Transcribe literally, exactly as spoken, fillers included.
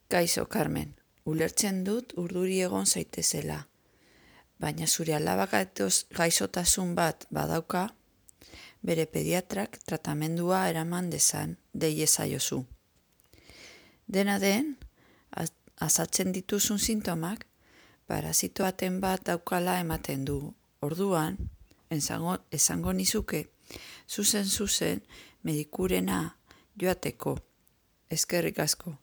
Kaixo, Carmen, ulertzen dut urduri egon zaitezela, baina zure alabak gaixotasun bat badauka, bere pediatrak tratamendua eraman dezan deiezaiozu. Dena den, azaltzen dituzun sintomak, parasito baten bat daukala ematen du. Orduan, esango, esango nizuke, zuzen zuzen medikurena joateko. Eskerrik asko.